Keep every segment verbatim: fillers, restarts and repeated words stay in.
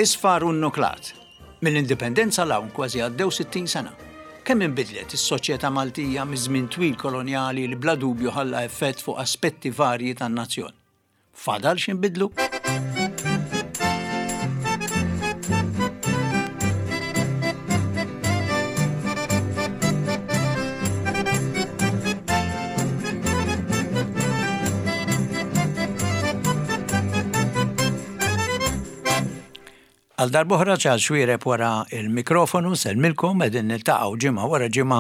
Isfar u nnuklat. Mill-indipendenza 'l hawn kważi għaddew sittin sena. Kemm inbidlet is-soċjetà Maltija miż-żmien twil kolonjali li bla dubju ħalla effett fuq aspetti varji tan-nazzjon? Fadal x'inbidlu? Għal darb'oħra Charles Xuereb wara il-mikrofonu, nsellmilkom, qegħdin niltaqgħu ġimgħa wara ġimgħa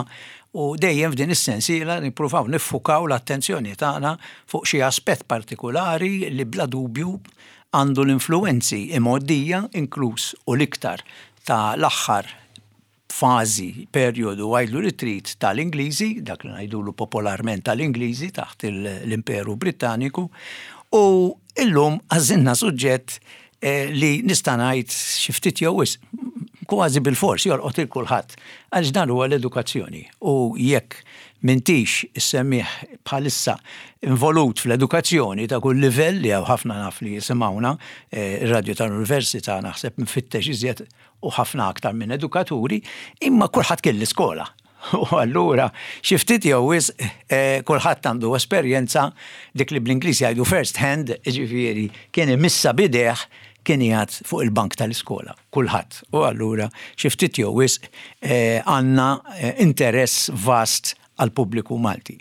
u dejjem f'din is-sensiela nippruvaw niffukaw l-attenzjoni tagħna fuq xi aspett partikulari li bla dubju għandu l-influenzi imgħoddija inkluż u l-iktar ta' l-aħħar fażi, perjodu, għidlu li trid tal-Ingliżi, dak li ngħidulu popolarment tal-Ingliżi taħt l-Imperu Brittaniku, u illum għażilna suġġett li nista' ngħid xi ftit jew wisq, kważi bil-fors jolqot il kulħadd, għaliex dan huwa l-edukazzjoni. U jekk m'intix issemmih bħalissa involut fl-edukazzjoni ta' kull livell li hawn ħafna naf li jisimgħuna, ir-radju tal-università naħseb mfittex iżjed u ħafna aktar minn edukaturi, imma kulħadd kien l-iskola. U allura xi ftit jew wisq kulħadd għandu esperjenza dik li bl-Ingliż jgħidu first hand, jiġifieri kien imissa bideh kien qiegħed fuq il-bank tal-iskola, kulħadd. U allura xi ftit jew wisq għandna interess vast għal pubbliku Malti.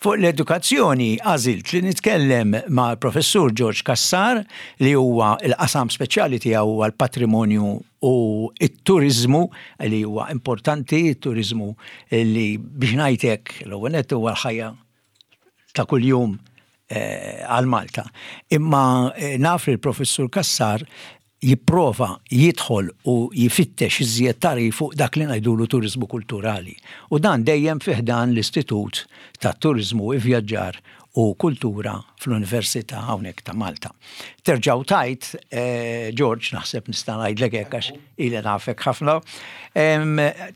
Fuq l-edukazzjoni għażilt li nitkellem ma' professur George Cassar li huwa l-qasam speċjali tiegħu huwa l-patrimonju u t-turizmu li huwa importanti, it-turizmu li biex ngħidlek l-ewwel nett huwa l-ħajja ta' kuljum għal Malta. Imma naf li l-professur Cassar jipprova jidħol u jifittex iżjed tagħrif fuq dak li ngħidulu turizmu kulturali. U dan dejjem fih dan l-Istitut ta' Turizmu, Ivvjaġġar u Kultura fl-Università hawnhekk ta' Malta. Terġgħu tajt, George, naħseb nista' ngħidlek hekk għax ili nafek ħafna,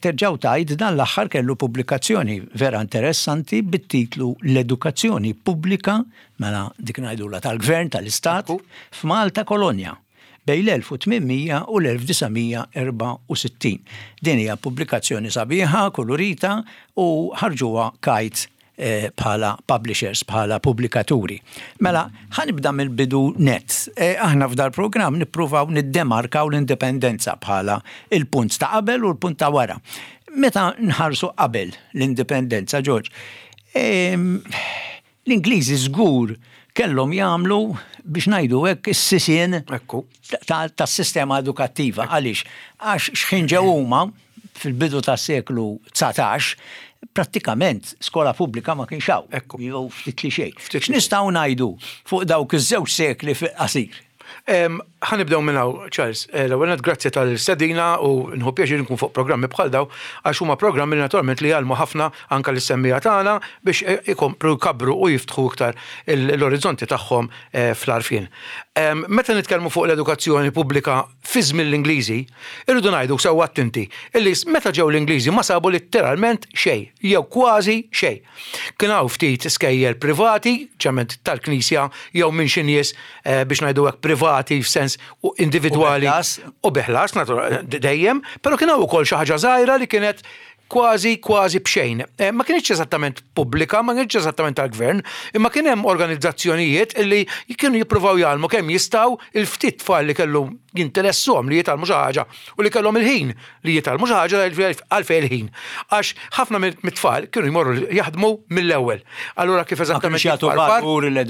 terġgħu tajt dan l-aħħar kellu pubblikazzjoni vera interessanti bit-titlu L-Edukazzjoni Pubblika, mela dik ngħidulha tal-Gvern tal-Istat, f'Malta Kolonja bejn l-elf u tmien mija u l-elf disa' mija erbgħa u sittin. Din hija pubblikazzjoni sabiħa, kolorita u ħarġuha Kite bħala publishers, bħala pubblikaturi. Mela, ħa nibda mill-bidu net. Aħna f'dal programm nippruvaw niddemarkaw l-indipendenza bħala il-punt ta' qabel u l-punt ta' wara. Meta nħarsu qabel l-indipendenza, George, l-Ingliżi żgur kellhom jagħmlu biex ngħidu hekk is-sisien tas-sistema edukattiva. Għaliex? Għax x'ħin ġew huma fil-bidu tas-seklu dsatax, prattikament skola pubblika ma kienx hawn. Jew ftit li xejn. X'nistgħu ngħidu fuq dawk iż-żewġ sekli fil-qasir? Ħa nibdew minn hawn, Charles. L-ewwel nett grazzi tal-stedina u nħu pjaċir nkun fuq programmi bħal daw għax huma programmi li naturalment li jgħallmu ħafna anke lis-semmiegħa tagħna biex ikomplu jkabru u jiftħu iktar l-orizzonti tagħhom fl-għarfien. Meta nitkellmu fuq l-edukazzjoni pubblika fi żmien l-Ingliżi, irridu ngħidu sewwa attenti illi meta ġew l-Ingliżi ma sabu letteralment xejn, jew kważi xejn. Kien hawn ftit skejjel privati, ċement tal-Knisja jew minn xi nies biex ngħidu hekk privati f'sens u individwali u bi ħlas dejjem, però kien hawn ukoll xi ħaġa żgħira li kienet kważi kważi b'xejn. Ma kienx eżattament pubblika, ma kienx eżattament tal-gvern, imma kien hemm organizzazzjonijiet illi kienu jippruvaw jgħallmu kemm jistgħu il-ftit tfal li kellu jinteressuhom li jitgħallmu xi ħaġa u li kellhom il-ħin li jitgħallmu xi ħaġa għalfejn il-ħin. Għax ħafna mit-tfal kienu jmorru jaħdmu mill-ewwel. Allura kif eżattament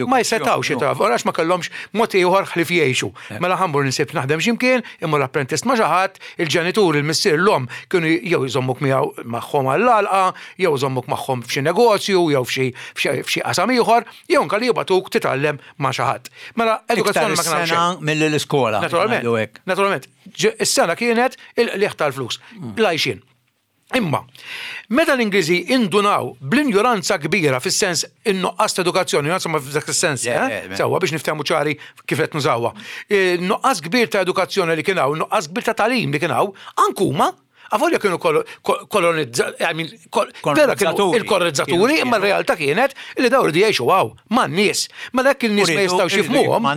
ma jsetgħux jitgħallmu għax ma kellhomx mod ieħor ħlief jgħixu. Mela ħa mmur insib naħdem x'imkien, immur apprentist ma' xi ħadd, il-ġenitur, il-missier, l-omm kienu jew jżommuk miegħu magħhom għall-għalqa, jew jżommuk magħhom f'xi negozju, jew f'xi qasam ieħor, jew anke li jibagħtuk titgħallem ma' xi ħadd. Mela edukazzjoni ma kienx hemm milli l-iskola. Naturalment. Naturalment. Is-sengħa kienet il-qligħ tal-flus, l-għajxien. Imma, meta l-Ingliżi indunaw bl-injoranza kbira fis-sens in-nuqqas ta' edukazzjoni, insomma f'dak is-sens, sewwa biex niftehmu ċari kif qed nużawha. Nuqqas kbir ta' edukazzjoni li kien hawn, nuqqas kbir ta' tagħlim li kien hawn, anke huma Avolja kienu kolonizzaturi, I mean, vera kienu il-kolonizzaturi, imma r-realtà kienet li daw rridu jgħixu hawn man-nies. Mela hekk il-nies ma jistgħux jifhmuhom.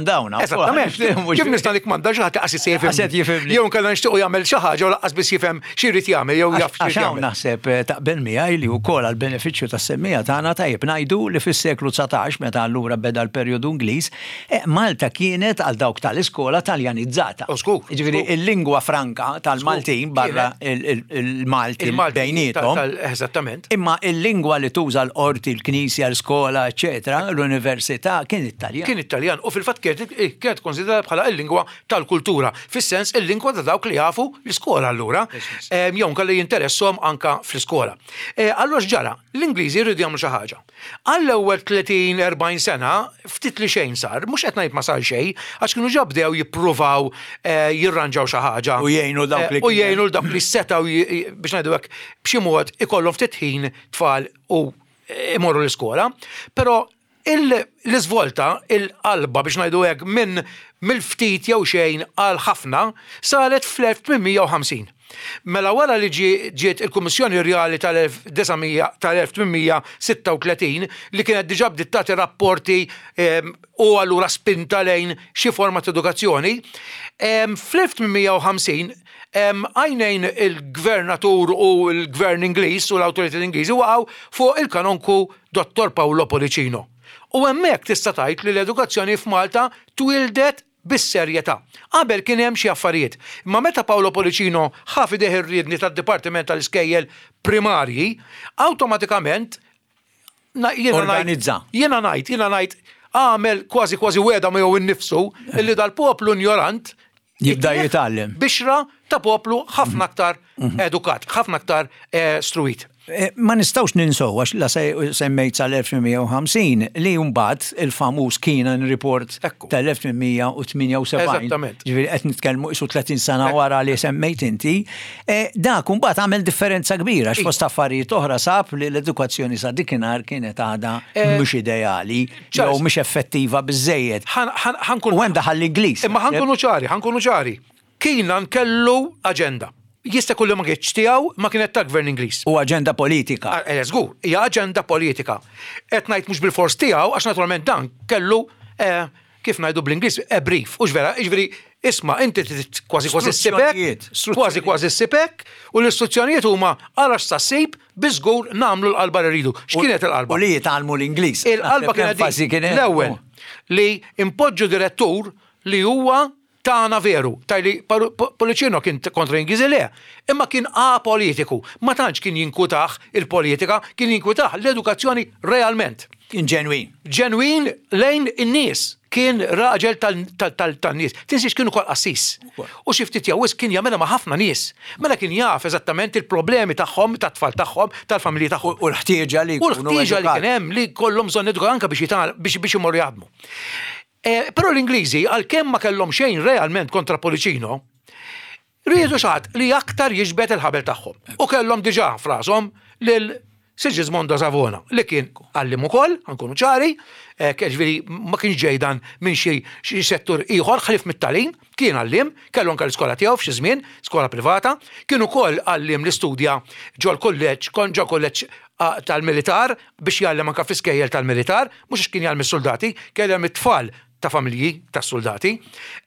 Eżattament. Kif nista' nikmanda xi ħadd qas jifhem. Jew inkella nixtiequ jagħmel xi ħaġa u lanqas biss jifhem x'irid jagħmel jew jaf x'irid jagħmel. Naħseb taqbel miegħi li wkoll għall-benefiċċju tas-semmiegħa tagħna tajjeb ngħidu li fis-seklu dsatax, meta allura beda l-perjodu Ingliż, Malta kienet għal dawk tal-iskola taljanizzata. Ġifieri il-lingwa franka tal-Maltin barra il-Malti bejniethom. Eżattament. Imma il-lingwa li tuża l-qorti, l-knisja, l-iskola, eċetera, l-università kien Italjan. Kien Italjan u fil-fatt kienet konsiderata bħala il-lingwa tal-kultura, fis-sens il-lingwa ta' dawk li jafu l-iskola allura, jew kelli jinteressom anka fl-iskola. Allura x'ġara? L-Ingliżi jridu jagħmlu xi ħaġa. Għall-ewwel tletin erbgħin sena ftit li xejn sar, mhux qed ngħid ma sar xejn, għax kienu ġa bdew jippruvaw jirranġaw xi ħaġa. U jgħinu dawk li u jgħinu dawk li setgħu biex ngħidu hekk b'xi mod ikollhom ftit ħin tfal u imorru l-iskola, però l-iżvolta, il-qalba biex ngħidu hekk minn mill-ftit jew xejn għal ħafna saret fl-elf tmien mija u ħamsin. Mela wara li ġiet il-Kummissjoni Rjali tal-elf tmien mija sitta u tletin li kienet diġà bdiet tagħti rapporti u allura spinta lejn xi forma ta' edukazzjoni, fl-elf tmien mija u ħamsin għajnejn il-gvernatur u l-gvern Ingliż u l-awtoritajiet Ingliżi waqgħu fuq il-kanonku Dottor Paolo Pollicino. U hemmhekk tista' tgħid li l-edukazzjoni f'Malta twildet bis-serjetà. Qabel kien hemm xi affarijiet, imma meta Paolo Pollicino ħa f'idejh ir-riedni tad-Dipartiment tal-Iskejjel Primarji, awtomatikament organizza. Jiena ngħid, jiena ngħid għamel kważi kważi weda miegħu innifsu illi dal-poplu ignorant jibda jitgħallem. Bixra ta' poplu ħafna aktar edukat, ħafna aktar struit. Ma nistgħux ninsew għax la semmejt sal-elf tmien mija u ħamsin li mbagħad il-famuż Keenan Report tal-elf tmien mija u tmienja u sebgħin. Eżattament. Ġifieri qed nitkellmu qisu tletin sena wara li semmejt inti. Dak mbagħad għamel differenza kbira għax fost affarijiet oħra sab li l-edukazzjoni sa dikinhar kienet għadha mhux ideali jew mhux effettiva biżejjed. U hemm daħal l-Ingliż. Imma ħankunu ċari, ħankunu ċari. Keenan kellu aġenda. Jista' kullu ma kienx tiegħu, ma kienet ta' gvern Ingliż. U aġenda politika. Eh, żgur, hija aġenda politika. Qed ngħid mhux bil-fors tiegħu għax naturalment dan kellu, eh, kif ngħidu bl-Ingliż, a brief, hux vera, jiġifieri isma' inti trid kważi kważi ssibek, Istruzzjonijiet, kważi kważi ssibek, u l-istruzzjonijiet huma għala x'sa ssib biżgur nagħmlu l-qalba li rridu. X'kienet il-qalba? U li jitgħallmu l-Ingliż. Il-qalba Naħseb kienet l-enfasi kienet l-ewwel li impoġġu direttur li huwa tagħna veru, tajli Pollicino kien kontra Ingliżi le, imma kien apolitiku, ma tantx kien jinkwitah il-politika, kien jinkwitah l-edukazzjoni realment. Kien ġenwin. Ġenwin lejn in-nies, kien raġel tal-nies. Tinsiex kienu kol qassis. U xi ftit jew wisq kien jagħmilha ma' ħafna nies. Mela kien jaf eżattament il-problemi tagħhom, tat-tfal tagħhom, tal-familji tagħhom. U l-ħtieġa li U l-ħtieġa li jkunu kien hemm li kollhom bżonn eduka anke biex jitgħal-, biex, biex imorru jaħdmu. Eh, però l-Ingliżi, għalkemm ma kellhom xejn realment kontra Pollicino, riedu xi ħadd li aktar jiġbed il-ħabel tagħhom. U kellhom diġà frashom lil Sigismondo Savona, li kien għallim ukoll, ħankunu ċari, eh, ġifieri ma kienx ġejdan minn xi, xi settur ieħor ħlief mit-tagħlim, kien għallim, kellu anke l-iskola tiegħu f'xi żmien, skola privata, kien ukoll għallim li studja ġol kulleġġ, kon ġol kulleġġ tal-militar biex jgħallem anke fl-iskejjel tal-militar, mhux għax kien jgħallem is-soldati, kien jgħallem it-tfal ta' familji ta' soldati.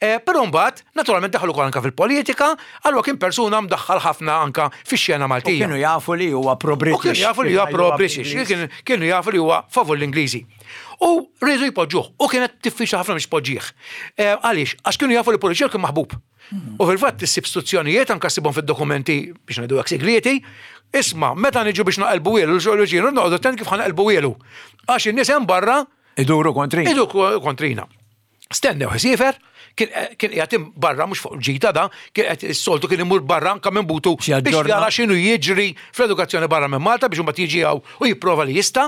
Eh, però mbagħad naturalment daħlu wkoll anke fil-politika, allura kien persuna mdaħħal ħafna anke fix-xena Maltija. U kienu jafu li huwa pro-British. U kienu jafu li huwa pro-British, kienu, kienu jafu li huwa favur l-Ingliżi. U riedu jpoġġuh, u kienet diffiċli ħafna biex poġġih. Eh, għaliex? Għax kienu jafu li Pollicino kien maħbub. U fil-fatt issib istruzzjonijiet anke ssibhom fid-dokumenti biex ngħidu hekk segreti, isma' meta niġu biex naqelbu wielu, l-ġolġinu noqogħdu attent kif ħanqelbu wielu. Għax in-nies hemm barra iduru kontrina. Iduru kontrina. Stennew ħsiefer, kien, kien qiegħed barra mhux fuq ġita da, kien qed is-soltu kien imur barra anke minn butu Xi biex aġġorna. jara x'inhu jiġri fl-edukazzjoni barra minn Malta biex imbagħad jiġi hawn u jipprova li jista'.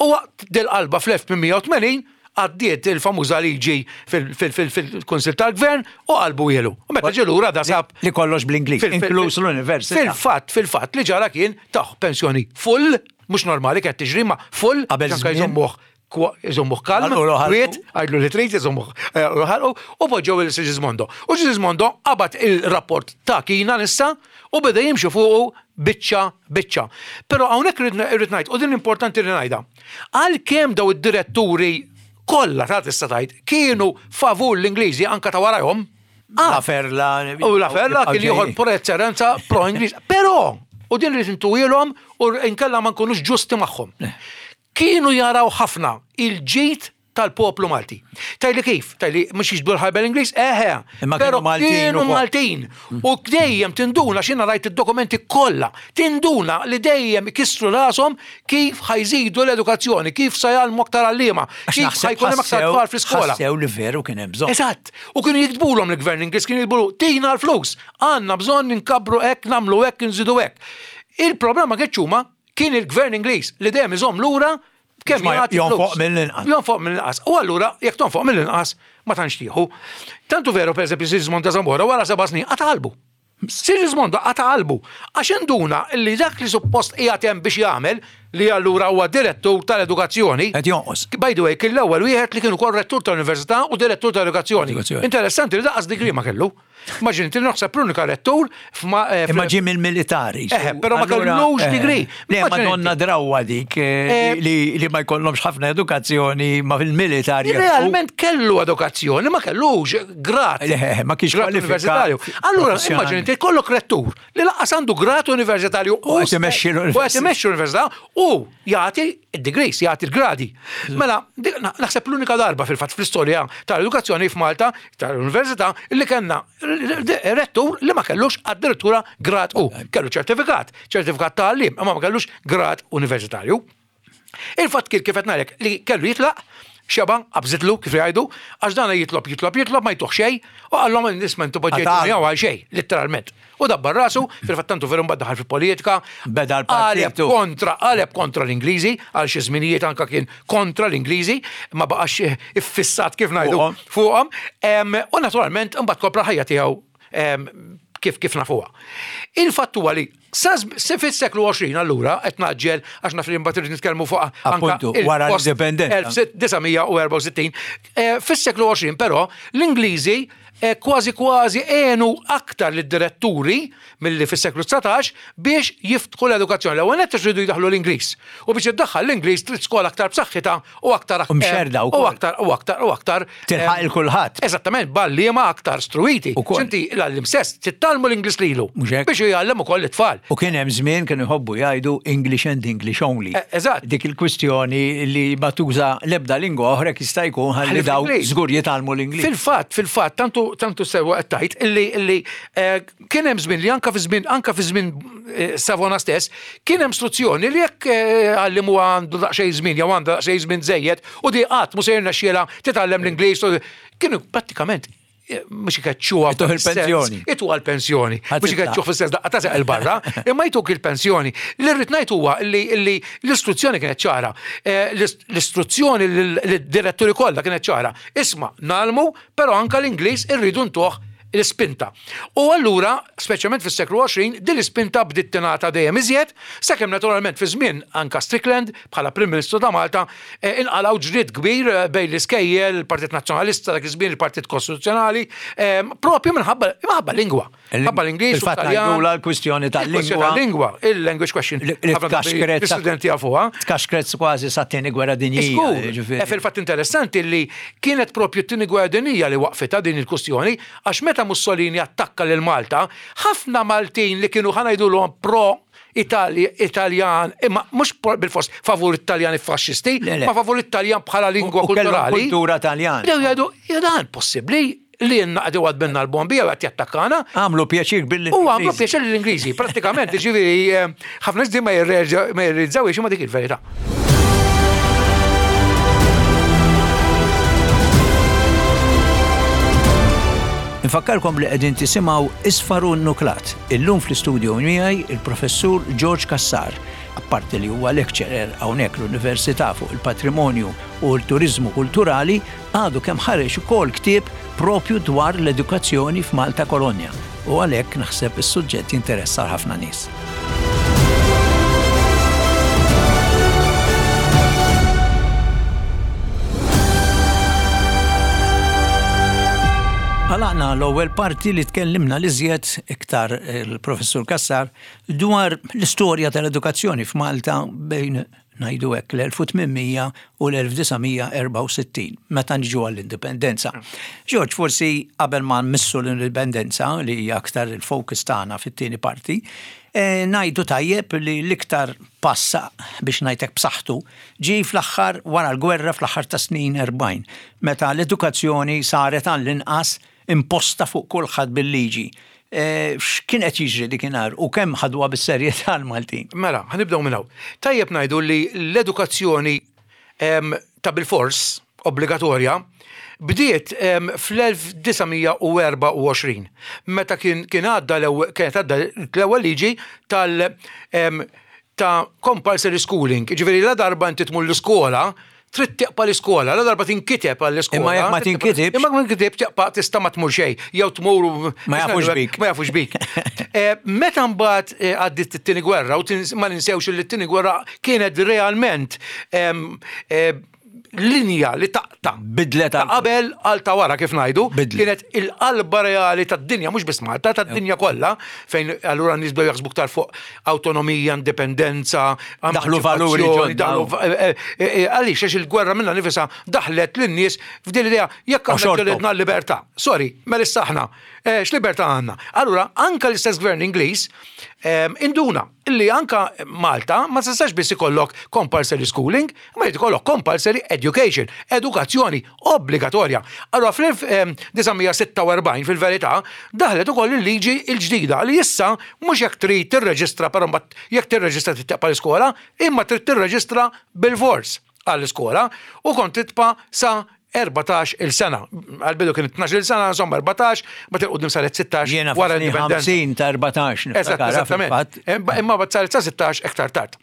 U waqt dil-qalba fl-elf tmien mija u tmenin għaddiet il-famuża liġi fil-, fil-, fil-, fil-Kunsill tal-Gvern u qalbu ilu. U meta ġie lura da sab Li kollox bl-Ingliż, Fil-, fil-, inkluż l-università. Fil-fatt, fil-fatt li ġara kien taħ pensjoni full, mhux normali kienet tiġri ma full, Qabel anke żmien. jżommuh Iżommuh kalm, kwiet, għidlu li trid, iżommuh ħalqu, u poġġew lil Sigismondo. U Sigismondo qabad il-rapport ta' Keenan issa u beda jimxi fuqu biċċa biċċa. Però hawnhekk irrid ngħid, u din importanti li ngħidha, għalkemm daw id-diretturi kollha ta' tista' tgħid kienu favur l-Ingliżi anka ta' warajhom. La Ferla. U La Ferla kien ieħor pro-eċċellenza pro-Ingliż. Però, u din rrid intuwielhom u inkella ma nkunux ġusti magħhom. Kienu jaraw ħafna il-ġid tal-poplu Malti. Tajli kif? Tajli mhux jiġbdu l-ħajba l-Ingliż? Eħe. Imma kienu Però Maltin kienu ukoll. Maltin. U dejjem tinduna, x'jiena rajt id-dokumenti kollha, tinduna li dejjem ikissru rashom kif ħa jżidu l-edukazzjoni, kif sa jgħallmu aktar għalliema, Għax kif naħseb ħa jkun hemm aktar ħassew- tfal fl-iskola. Ħassew li veru kien hemm bżonn. Eżatt. U kienu jiktbulhom l-gvern Ingliż, kienu jiktbulu tina l-flus, għandna bżonn nkabbru hekk, nagħmlu hekk, nżidu hekk. Il-problema kien huma kien il-gvern Ingliż li dejjem iżomm lura kemm Ma jagħti jonfoq flus. mill-inqas. Jonfoq mill-inqas. U allura jekk tonfoq mill-inqas ma tantx tieħu. Tantu veru pereżempju Sigismondo ta' Zamora wara seba' snin qata' qalbu. Sigismondo qata' qalbu għax induna li dak li suppost qiegħed hemm biex jagħmel li allura huwa direttur tal-edukazzjoni. Qed jonqos. By the way, kien l-ewwel wieħed li kien ukoll rettur tal-università u direttur tal-edukazzjoni. Edukazzjoni. Interessanti li lanqas degree ma kellu. Immaġini li naħseb l-unika rettur f'ma- eh, Imma ġie mill-militari. Eħe, però ma Allura, kellux eh, degree. Le, Immaġini madonna inti. drawa dik eh, Eh, li li ma jkollhomx ħafna edukazzjoni ma fil-militari. Realment kellu edukazzjoni, ma kellux grad. Le, ma kienx grad kwalifikat universitarju. Allura, professjonali. immaġini inti kollok rettur li lanqas għandu grad universitarju U qed imexxi l-università. U qed imexxi l-università u jagħti id-degrees, jagħti l-gradi. Mela, dik- na- naħseb l-unika darba fil-fatt fl-istorja tal-edukazzjoni f'Malta, tal-università, li kellna rettur li ma kellux addirittura grad u. Kellu ċertifikat, ċertifikat ta' għallim, imma ma kellux grad universitarju. Il-fatt kien kif qed ngħidlek li kellu jitlaq, xeba, qabżitlu kif jgħidu, għax dan jitlob, jitlob, jitlob, ma jtuh xejn, u qallhom nisma' intu poġġejtu Għatal. miegħu għal xejn, letteralment. U dabbar rasu, fil-fatt tantu veru mbagħad daħal fil-politika. Beda l-partitu. Qaleb kontra, qaleb kontra l-Ingliżi, għal xi żminijiet anka kien kontra l-Ingliżi, ma baqax iffissat kif ngħidu Fuqhom. fuqhom. Em, U naturalment imbagħad kopra ħajja tiegħu em, kif kif nafuha. Il-fatt huwa li sa se fis-seklu għoxrin allura qed naġġel għax naf li mbagħad irid nitkellmu fuq anka Appuntu, wara il-post l-indipendenza. elf disa' mija u erbgħa u sittin. Eh, Fis-seklu għoxrin però l-Ingliżi eh, kważi kważi għenu aktar lid-diretturi milli fis-seklu dsatax biex jiftħu l-edukazzjoni. L-ewwel nett iridu jdaħħlu l-Ingliż. U biex iddaħħal l-Ingliż trid skola aktar b'saħħitha u aktar U mxerda u wkoll. aktar u aktar u aktar Tilħaq eh, il kulħadd. Eżattament, b'għalliema aktar struwiti. Ukoll. Inti l-għalliem stess titgħallmu l-Ingliż lilu. Mhux hekk? Biex jgħallem ukoll it-tfal. U kien hemm żmien kienu jħobbu jgħidu English and English only. Eh, eżatt. Dik il-kwistjoni li ma tuża l-ebda lingwa oħra jista' jkun ħalli Ħalli daw fl-Ingliż. żgur jitgħallmu l-Ingliż. Fil-fatt, fil-fatt, tantu tantu sewa qed tgħid illi illi eh, kien hemm żmien li anka fi żmien anka fi żmien eh, Savona stess kien hemm struzzjoni li jekk eh, għalliem huwa għandu daqsxejn żmien jew għandha daqsxejn żmien żejjed u di qatt mhu se jirnexxielha titgħallem l-Ingliż u kienu prattikament eh, mhux ikeċċuha Ituh il-pensjoni. Ituha l-pensjoni. Ħadd Mhux titlaq. ikeċċuh fis-sens daqqa ta' seq il-barra, imma jtuk il-pensjoni. Li rrid ngħid huwa li li l-istruzzjoni kienet ċara. Eh, L-istruzzjoni lid-diretturi kollha kienet ċara. Isma' ngħallmu, però anka l-Ingliż irridu ntuh l-ispinta. U allura, speċjalment fis-seklu għoxrin, din l-ispinta bdiet tingħata dejjem iżjed, sakemm naturalment fi żmien anka Strickland bħala Prim Ministru ta' Malta eh, inqalgħu ġlied kbir eh, bejn l-iskejjel, il-Partit Nazzjonalista dak iż-żmien, il-Partit Kostituzzjonali, eh, propju minħabba minħabba lingwa. Minħabba l-Ingliż u Fil-fatt Taljan. ngħidula l-kwistjoni Il-kwistjoni tal-lingwa. tal-lingwa, il-language question. Li- li Ħafna drabi tkaxkret- L-istudenti jafuha. Tkaxkret kważi sat-tieni gwerra dinjija. Żgur, ġifieri. E fil-fatt interessanti li kienet propju t-tieni gwerra dinjija li waqfitha din il-kwistjoni, għax meta Mussolini attakka lil Malta, ħafna Maltin li kienu ħa ngħidulhom pro Itali, Italjan, imma mhux bil-fors favur Italjani faxxisti, Le, le. ma favur Italjan bħala lingwa U kellhom kulturali. kultura Taljana. Bdew jgħidu, ja dan possibbli li jenna għadu għadbenna l-bombi għad jattakkana. Għamlu pjaċir billi. U għamlu pjaċir l-Ingliżi, pratikament, ġifieri, eh, ħafna nies ma jirrealizzawx imma dik il-verità. Nfakkarkom li qegħdin tisimgħu Isfar u Nuklat. Illum fl-istudio miegħi il-professur George Cassar, apparti li huwa lecturer hawnhekk l-Università fuq il-patrimonju u l-turizmu kulturali, għadu kemm ħareġ ukoll ktieb propju dwar l-edukazzjoni f'Malta Kolonja. U għalhekk naħseb is-suġġett jinteressa ħafna nies. L-ewwel parti li tkellimna l-iżjed iktar il-Professur Cassar dwar l-istorja tal-edukazzjoni f'Malta bejn, ngħidu hekk, l-elf u tmien mija u l-elf disa' mija erbgħa u sittin, meta niġu għall-indipendenza. George, forsi qabel ma nmissu l-indipendenza, li hija aktar il-focus tagħna fit-tieni parti, e, ngħidu tajjeb li l-iktar passa biex ngħidlek b'saħħtu ġi fl-aħħar wara l-gwerra, fl-aħħar ta' snin erbgħin, meta l-edukazzjoni saret għall-inqas imposta fuq kulħadd bil-liġi. E, X'kien qed jiġri dikinhar u kemm ħadwa bis-serjetà l-Maltin? Mela, ħa nibdew minn hawn. Tajjeb ngħidu li l-edukazzjoni em, ta' bil-fors obbligatorja bdiet em, fl-elf disa' mija erbgħa u għoxrin, meta kien kien għadda l-ewwel kienet għadda l-ewwel liġi tal em, ta' compulsory schooling. Ġifieri la darba inti tmur l-iskola, trid tibqa' l-iskola, la darba tinkiteb għall-iskola. Imma jekk ma tinkitibx- Imma ma tinkitibx tibqa' tista' ma tmur xejn, jew tmur u- Ma jafux bik. Ma jafux bik. Eh, Meta mbagħad eh, għaddiet it-tieni gwerra, u tins- ma ninsewx li t-tieni gwerra kienet realment em, eh, linja li taqta'. Bidlet Ta' għal- qabel għal ta' wara, kif ngħidu, Bidlet. kienet il-qalba reali tad-dinja, mhux biss Malta, tad-dinja kollha, fejn allura nies bdew jaħsbu aktar fuq autonomija, indipendenza, Daħlu valuri emanċipazzjoni, ġodda. daħlu va- eh, eh, eh, Għaliex, għax il-gwerra minna nifisha daħlet lin-nies f'din l-idea jekk aħna xortom. ġelidna l-libertà. Sorry, mela issa aħna, eh, x'libertà għandna? Allura, anka l-istess gvern Ingliż em, induna illi anka Malta ma tistax biss ikollok compulsory schooling, ma jrid ikollok compulsory education, edukazzjoni obbligatorja. Allura fl-elf disa' mija sitta u erbgħin fil-verità daħlet ukoll il-liġi il-ġdida li issa mhux jekk trid tirreġistra, però mbagħad jekk tirreġistra tibqa' l-iskola, imma trid tirreġistra bil-fors għall-iskola u kont tibqa' sa erbatax il-sena. Għal-bidu kien tnax il-sena, insomma erbatax, ma til-qudiem saret sittax Jiena wara fis-snin l-indipendenza. ħamsin ta' erbatax Eżatt, niftakarha eżattament. fil-fatt. Imma imma bat saret sa sittax iktar tard.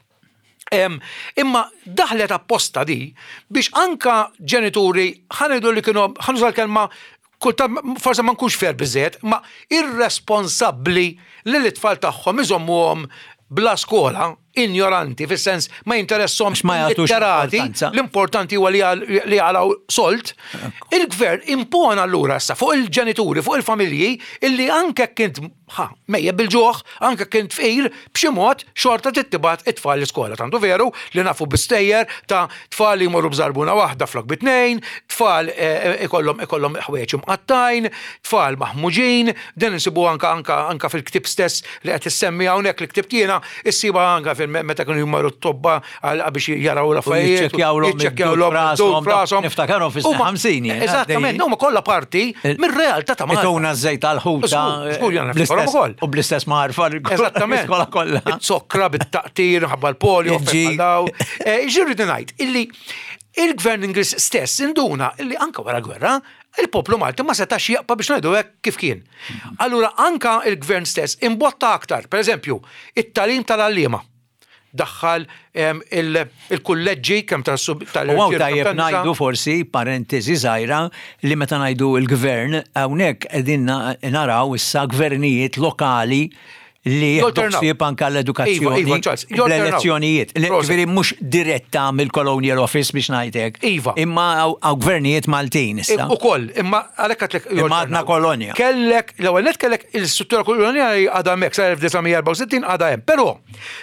Em, Imma daħlet apposta di biex anka ġenituri, ħa ngħidu li kienu, ħa nuża l-kelma, kultant forse ma nkunx fair biżejjed, ma irresponsabbli li l-tfal tagħhom iżommuhom bla skola, ignoranti, fis-sens ma jinteressahomx Ma jagħtux litterati, importanza. l-importanti huwa li għal- li jaqilgħu sold. Il-gvern impona allura issa fuq il-ġenituri, fuq il-familji, illi anke kint ħa, mejjet bil-ġuħ, anke kint fqir, b'xi mod xorta tibgħat it-tfal l-iskola. Tantu veru li nafu bistejjer ta' tfal li jmorru b'żarbuna waħda flok bitnejn, tfal eh, ikollhom ikollhom ħwejjeġ imqattajn, tfal maħmuġin, din insibu anka anka anka fil-ktib stess li qed issemmi hawnhekk, li ktibt jiena, issiba anka fil meta kienu jmorru t-tobba għal biex jaraw l-affarijiet. Jiċċekkjawlhom jiċċekkjawlhom id-dud id-dud f'rashom. Niftakarhom fis-snin Huma- ħamsin jien, Eżattament, għaddej. huma kollha parti mir-realtà ta' Malta. Ituna żejt tal-ħuta. Żgur, żgur, jiena niftakarhom ukoll. U bl-istess marfa Eżattament. l-iskola kollha. It-sokra bit-taqtir, ħabba l-polio, Il-G. daw. Ġirri ngħid illi il-gvern Ingliż stess induna illi anka wara gwerra il-poplu Malti ma setax jaqpa biex ngħidu hekk kif kien. Allura anka il-gvern stess imbotta aktar, per eżempju, it-tagħlim tal-għalliema. Daħħal em, il- il-kulleġġi kemm tal-sub tal U hawn tajjeb ngħidu forsi parentesi żgħira li meta ngħidu il-gvern, hawnhekk qegħdin na- naraw issa gvernijiet lokali li jieħdu Jolternaw. ħsieb anka l-edukazzjoni Iva, iva, Charles, jolternaw. l-elezzjonijiet. Li- Prosit. Ġifieri mhux diretta mill-Colonial Office biex ngħidlek. Iva. Imma hawn hawn gvernijiet Maltin issa. U koll, imma għalhekk għedtlek. Imma għadna kolonja. Kellek, l-ewwel net kellek il-struttura kolonjali għadha hemmhekk sa elf disa' mija erbgħa u sittin għadha hemm. Però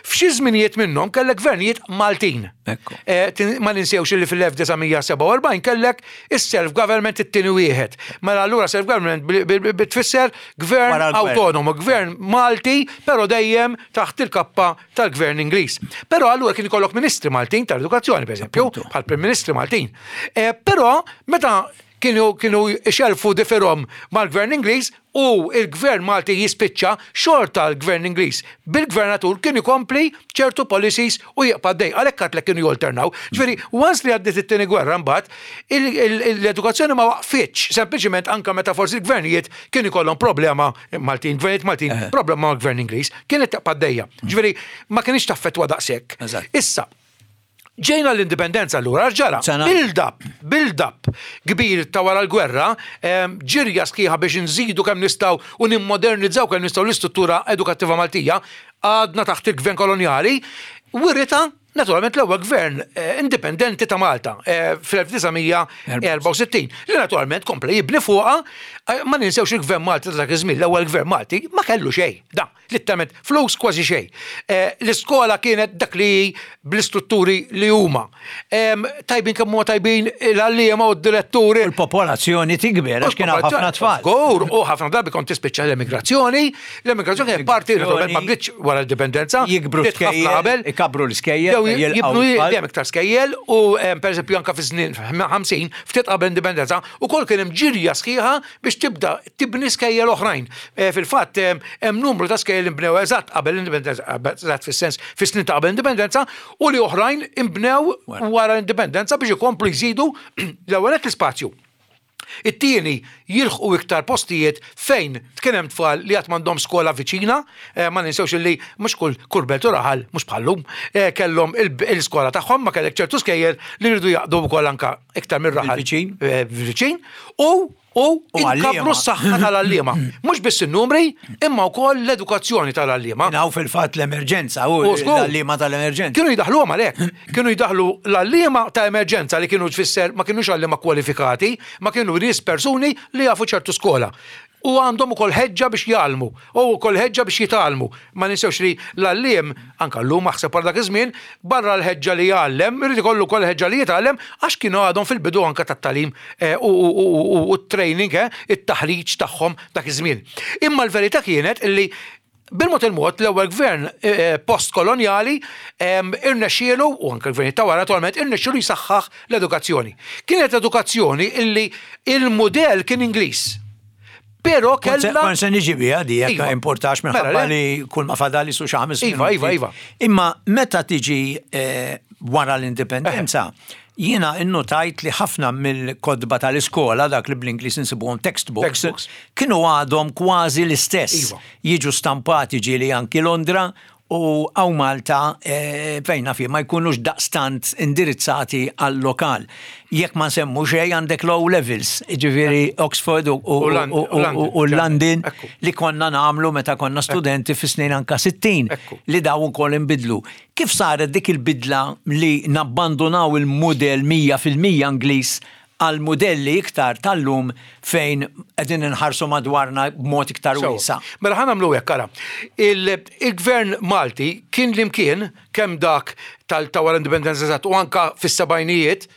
f'xi żminijiet minnhom kellek gvernijiet Maltin. Ekku. Eh, tin- Ma ninsewx li fil-elf disa' mija sebgħa u erbgħin kellek is-self-government it-tieni wieħed. Mela allura self-government bil- bil- bil- tfisser gvern Wara l-gvern. autonomo, gvern Malti, però dejjem taħt il-kappa tal-gvern Ingliż. Però allura kien ikollok ministri Maltin tal-edukazzjoni, per eżempju, Appuntu. bħal Prim Ministri Maltin. Eh, Però meta kienu kienu xelfu differhom mal-gvern Ingliż u il-gvern Malti jispiċċa, xorta l-gvern Ingliż bil-gvernatur kien ikompli ċertu policies u jibqa' dej. Għalhekk għedtlek kienu jolternaw. Ġifieri, once li għaddiet it-tieni gwerra mbagħad, il- il- l-edukazzjoni ma waqfitx, sempliċiment anka meta forsi l-gvernijiet kien ikollhom problema Maltin, gvernijiet Maltin, problema mal-gvern Ingliż, kienet tibqa' dejja. Ġifieri, ma kienx taffettwa daqshekk. Eżatt. Issa, ġejna l-indipendenza allura, ġara, Sena- build-up, build-up kbir ta' wara l-gwerra, em, ġirja sħiħa biex nżidu kemm nistgħu u nimmodernizzaw kemm nistgħu l-istruttura edukattiva Maltija, għadna taħt il-gvern kolonjali, wirita naturalment l-ewwel gvern eh, indipendenti ta' Malta eh, fl-elf disa' mija erbgħa u sittin, li naturalment kompla jibni fuqha. eh, ma ninsewx il-gvern Malti ta' dak iż-żmien, l-ewwel gvern Malti ma kellu xejn, da, literalment flus kważi xejn. Eh, L-iskola kienet dak li bl-istrutturi li huma. Em, Tajbin kemm huma tajbin l-għalliema u d-diretturi. Il-popolazzjoni tikber għax kien hawn ħafna tfal. Żgur, u ħafna drabi kont tispiċċa l-emigrazzjoni, l-emigrazzjoni kienet parti, naturalment ma bdietx wara l-indipendenza, Jikbru bdiet ħafna skejjel, qabel. Ikabru l-iskejjel, Jew jilqgħu jibnu tfal. dejjem iktar skejjel u em, per eżempju anka fi snin ħamsin, ftit qabel indipendenza, ukoll kien hemm ġirja sħiħa biex tibda tibni skejjel oħrajn. Eh, Fil-fatt em, hemm numru ta' skejjel imbnew eżatt qabel l-indipendenza, eżatt fis-sens fis-snin ta' qabel l-indipendenza u li oħrajn imbnew wara l-indipendenza biex ikomplu jżidu l-ewwel l-ispazju. It-tieni, jilħqu iktar postijiet fejn kien hemm tfal li għad m'għandhom skola viċina, eh, ma ninsewx li mhux kull kull belt u raħal, mhux bħallum, eh, kellhom il- il-skola tagħhom, ma kellek ċertu skejjel li rridu jaqdu wkoll anka iktar mir-raħal. Viċin. Eh, Viċin. U u U għalliema. inkabru s-saħħa tal-għalliema. Mhux biss in-numri, imma wkoll l-edukazzjoni tal-għalliema. Naw fil-fatt l-emerġenza, u U żgur. l-għalliema tal-emerġenza. Kienu jidaħlu għalek, kienu jidaħlu l-għalliema ta' emerġenza li kienu tfisser ma kienux għalliema kwalifikati, ma kienu nies persuni li jafu ċertu skola. U għandhom ukoll ħeġġa biex jgħallmu, u ukoll ħeġġa biex jitgħallmu. Ma ninsewx li l-għalliem, anka llum aħseb dak iż-żmien, barra l-ħeġġa li jgħallem, irid ikollu wkoll ħeġġa li jitgħallem għax kienu għadhom fil-bidu anka tat-tagħlim eh, u- u u- u t-training, eh, it-taħriġ tagħhom dak iż-żmien. Imma l-verità kienet illi bil-mod il-mod l-ewwel gvern eh, post-kolonjali em, irnexxielu, u anke l-gvern ta' wara naturalment, irnexxielu jisaħħaħ l-edukazzjoni. Kienet edukazzjoni illi il-mudell kien Ingliż. Però kella Kont se niġi biha di jekk Iva. importax Mela, minħabba le. li kull ma fadali su xi ħames Iva, minuti. iva, iva. Imma meta tiġi eh, wara l-indipendenza, jiena innotajt li ħafna mill-kotba tal-iskola, dak li bl-Ingliż insibuhom textbooks, Textbooks. kienu għadhom kważi l-istess. Iva. Jiġu stampati ġieli anki Londra u hawn Malta eh, fejna fi ma jkunux daqstant indirizzati għal-lokal. Jekk ma nsemmu xej għandek low levels, ġifieri Oxford u, u, U Lon- u, u, u u, u London Ekku. li konna nagħmlu meta konna studenti fi snin anka sittin Ekku. li daw ukoll inbidlu. Kif saret dik il-bidla li nabbandonaw il-modell mija fil-mija Ingliż għal modelli iktar tal-lum fejn qegħdin inħarsu madwarna b'mod iktar Sewa. wiesa'? Mela ħa nagħmlu hekk, ara. Il- Il-gvern Malti kien l-imkien kemm dak tal-ta' wara indipendenza eżatt u anka fis-sebgħinijiet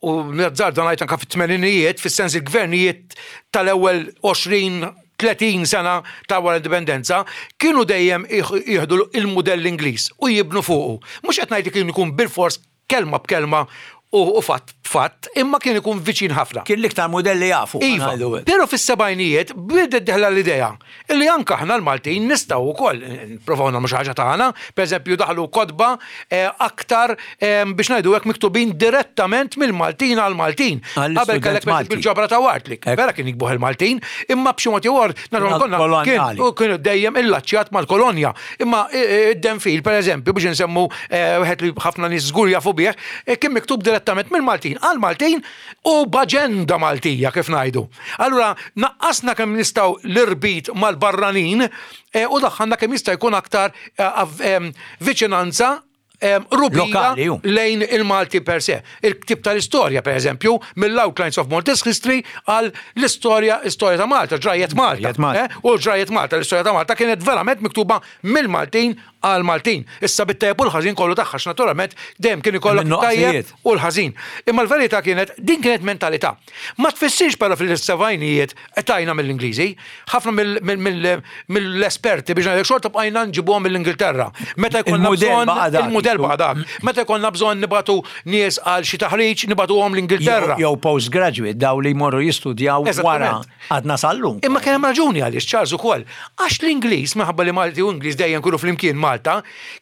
u nazzarda ngħid anka fit-tmeninijiet, fis-sens il-gvernijiet tal-ewwel għoxrin tletin sena ta' wara l-indipendenza kienu dejjem jieħdu il-mudell Ingliż u jibnu fuqu. Mhux qed ngħid li kien ikun bil-fors kelma b'kelma u u fatt fatt, imma kien ikun viċin ħafna. Kien l-iktar modelli jafu. Iva, ngħidu hekk. pero fis-sebgħinijiet bdiet dieħla l-idea illi anka aħna l-Maltin nistgħu wkoll nipprovaw nagħmlu xi ħaġa tagħna, pereżempju daħlu kotba eh, aktar eh, biex ngħidu hekk miktubin direttament mill-Maltin għal-Maltin. Għall-istudent Qabel kellek Malti. bil-ġabra ta' Wartlich, Ekku. vera kien jiktbuh il-Maltin, imma b'xi mod jew ieħor naturalment konna Kolonjali. kien u kienu dejjem illaċċjat mal-kolonja. Imma id-Denfil, per eżempju, biex nsemmu eh, wieħed li ħafna nies żgur jafu bih, eh, kien miktub direttament mill-Maltin għal-Maltin u b'aġenda Maltija kif ngħidu. Allura naqqasna kemm nistgħu l-irbit mal-barranin eh, u daħħalna kemm jista' jkun aktar eh, av- em, viċinanza em, rubija Lokali, ju. lejn il-Malti per se. Il-ktib tal-istorja, per eżempju, mill-Outlines of Maltese History għal l-istorja istorja ta' Malta, ġrajiet Malta. Ġrajiet Malta. Eh? U ġrajiet Malta, l-istorja ta' Malta kienet verament miktuba mill-Maltin għal Maltin. Issa bit-tajjeb u l-ħażin kollu tagħha, għax naturalment dejjem kien ikollok Min-nuqqasijiet. tajjeb u l-ħażin. Imma l-verità kienet din kienet mentalità. Ma tfissirx però fil-sebgħinijiet tajna mill-Ingliżi, ħafna mill- mill- mill- mill-esperti biex ngħidlek xorta bqajna nġibuhom mill-Ingilterra. Meta jkollna Il-mudell bżonn baqa' dak. il-mudell baqa' dak. Meta jkollna bżonn nibagħtu nies għal xi taħriġ nibagħtuhom l-Ingilterra. Jew postgraduate, daw li jmorru jistudjaw wara Eżattament. għadna sal-lum. Imma kien hemm raġuni għaliex, Charles, ukoll. Għax l-Ingliż, minħabba li Malti u Ingliż dejjem kienu flimkien Malta,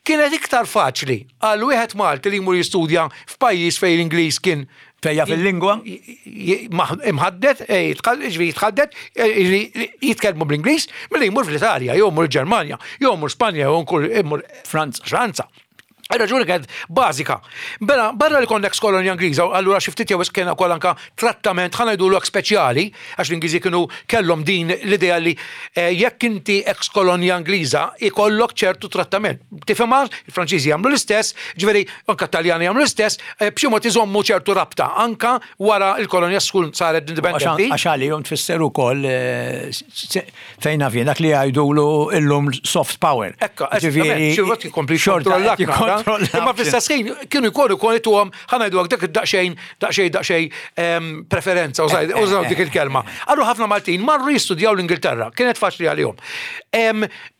kienet iktar faċli għal wieħed Malti li jmur jistudja f'pajjiż fejn l-Ingliż kien Fejja fil-lingwa? imħaddet, eh, ġifieri jitħaddet, eh, ġifieri jitkellmu bl-Ingliż, milli jmur fl-Italja, jew jmur Ġermanja, jew jmur Spanja, jew jmur Franza. Franza. Raġuni kienet bażika. Bella, barra li konna ex-kolonja Ingliża, allura xi ftit jew kien ukoll anka trattament, ħa ngħidu speċjali, għax l-Ingliżi kienu kellhom din l-idea li eh, jekk inti ex-kolonja Ingliża ikollok ċertu trattament. Tifhimha, il-Franċiżi jagħmlu l-istess, ġifieri anka Taljani jagħmlu l-istess, eh, b'xi mod iżommu ċertu rabta anka wara l-kolonja tkun saret indipendenti. Għax għalihom tfisser ukoll eh, fejn naf dak li jgħidulu illum soft power. Ekka, ġifieri xorta Imma fl-istess ħin kienu jkunu jkunu tuhom, ħa ngħidu dak daqsxejn daqsxejn daqsxejn preferenza, użaw dik il-kelma. Allura ħafna Maltin marru jistudjaw l-Ingilterra, kienet faċli għalihom.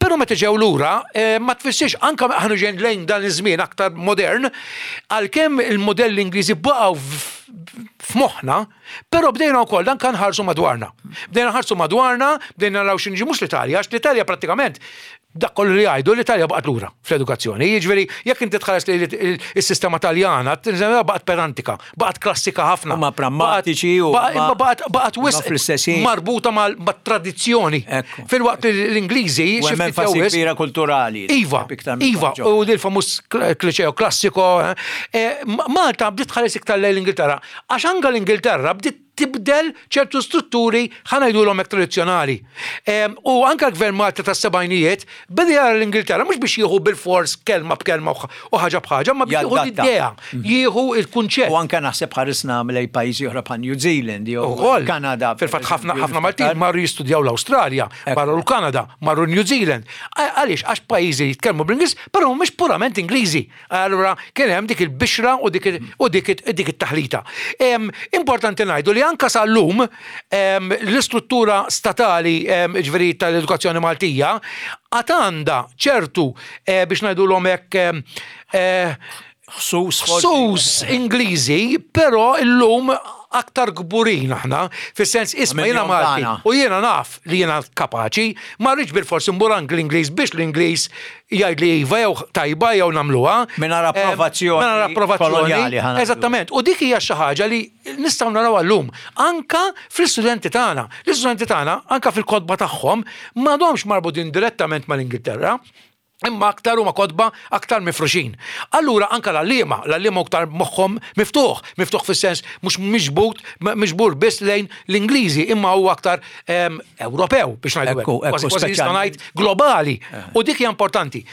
Però meta ġew lura, ma tfissirx anka aħna ġejn lejn dan iż-żmien aktar modern, għalkemm il-modelli Ingliżi baqgħu f'moħħna, però bdejna wkoll dan kan ħarsu madwarna. Bdejna ħarsu madwarna, bdejna naraw x'inġi mhux l-Italja, għax l-Italja prattikament dak kollu li jgħidu, l-Italja baqgħet lura fl-edukazzjoni. Jiġifieri jekk inti tħares li s-sistema Taljana, baqgħet pedantika, baqgħet klassika ħafna. Huma prammatiċi u baqgħet wisq marbuta mat-tradizzjoni. Filwaqt li l-Ingliżi xi enfasi kbira kulturali. Iva, iva, u il-famuż kliċeo klassiko. Eh, Malta bdiet tħares iktar lejn l-Ingilterra, għax anke l-Ingilterra bdiet tibdel ċertu strutturi, ħa ngħidulhom hekk, tradizzjonali. U anka l-gvern Malta tas-sebgħinijiet beda jara l-Ingilterra mhux biex jieħu bil-fors kelma b'kelma u ħaġa b'ħaġa, ma biex jieħu l-idea, mhm. jieħu il-kunċett. U anka naħseb ħarisna lejn pajjiżi oħra bħal New Zealand jew Kanada. Fil-fatt ħafna ħafna Maltin marru jistudjaw l-Awstralja, marru l-Kanada, marru New Zealand. Għaliex? Għax pajjiżi jitkellmu bl-Ingliż, però mhumiex purament Ingliżi. Allura kien hemm dik il-bixra u dik it-taħlita. Importanti ngħidu li anka sal-lum l-istruttura statali, ġifieri tal-edukazzjoni Maltija, għad għandha ċertu, eh, biex ngħidu hekk, eh, ħsus Ingliżi, però illum aktar kburin aħna, fis-sens isma' jiena Malti u jiena naf li jiena kapaċi, ma rridx bil-forsi mmur l-Ingliż biex l-Ingliż jgħid li iva jew tajba jew nagħmluha. Mingħajr approvazzjoni. Mingħajr approvazzjoni. Eżattament. U dik hija xi ħaġa li nistgħu naraw llum anka fl-istudenti tagħna. L-istudenti tagħna anka fil-kotba tagħhom m'għadhomx marbutin direttament mal-Ingilterra, imma aktar huma kotba aktar mifruxin. Allura anka l-għalliema, l-għalliema aktar moħħhom miftuħ, miftuħ fis-sens mhux miġbut, miġbur biss lejn l-Ingliżi, imma huwa aktar Ewropew, biex ngħidu. Kważi nista' ngħid globali. Eh. U dik hija importanti.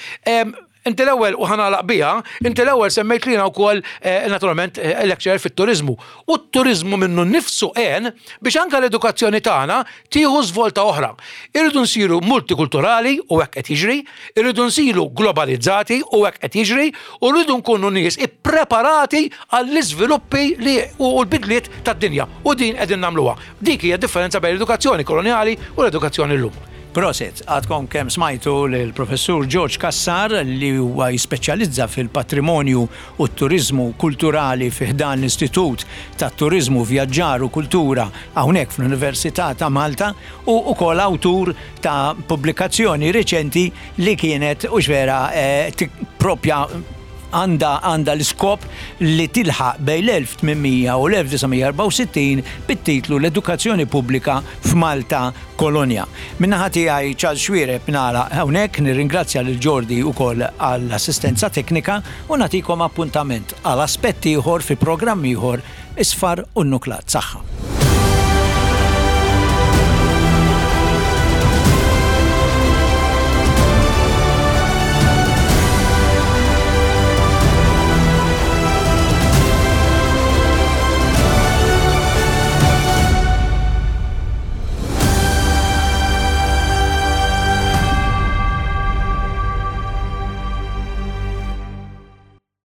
Inti l-ewwel, u ħa nagħlaq biha, inti l-ewwel semmejt lina wkoll eh, naturalment eh, lecturer fit-turizmu. U t-turizmu minnu nnifsu għen biex anke l-edukazzjoni tagħna tieħu żvolta oħra. Irridu nsiru multikulturali u hekk qed jiġri, irridu nsiru globalizzati u hekk qed jiġri, u rridu nkunu nies ippreparati għall-iżviluppi li u l-bidliet tad-dinja. U din qegħdin nagħmluha. Dik hija differenza bejn l-edukazzjoni koloniali u l-edukazzjoni llum. Prosit, għadkom kemm smajtu l-professur George Cassar, li huwa jispeċjalizza fil-patrimonju u t-turizmu kulturali fi ħdan l-Istitut ta' Turizmu, Vjaġġar u Kultura hawnhekk fl-Università ta' Malta, u ukoll awtur ta' pubblikazzjoni reċenti li kienet u vera eh, propja għanda għanda l-iskop li tilħaq bejn l-elf tmien mija u l-elf disa' mija erbgħa u sittin bit-titlu "L-Edukazzjoni Pubblika f'Malta Kolonja". Min-naħa tiegħi, Charles Xuereb, nagħlaq hawnhekk, nirringrazzja lil Jordi ukoll għall-assistenza teknika u nagħtikom appuntament għal aspett ieħor fi programm ieħor, Isfar u Nuklat. Saħħa.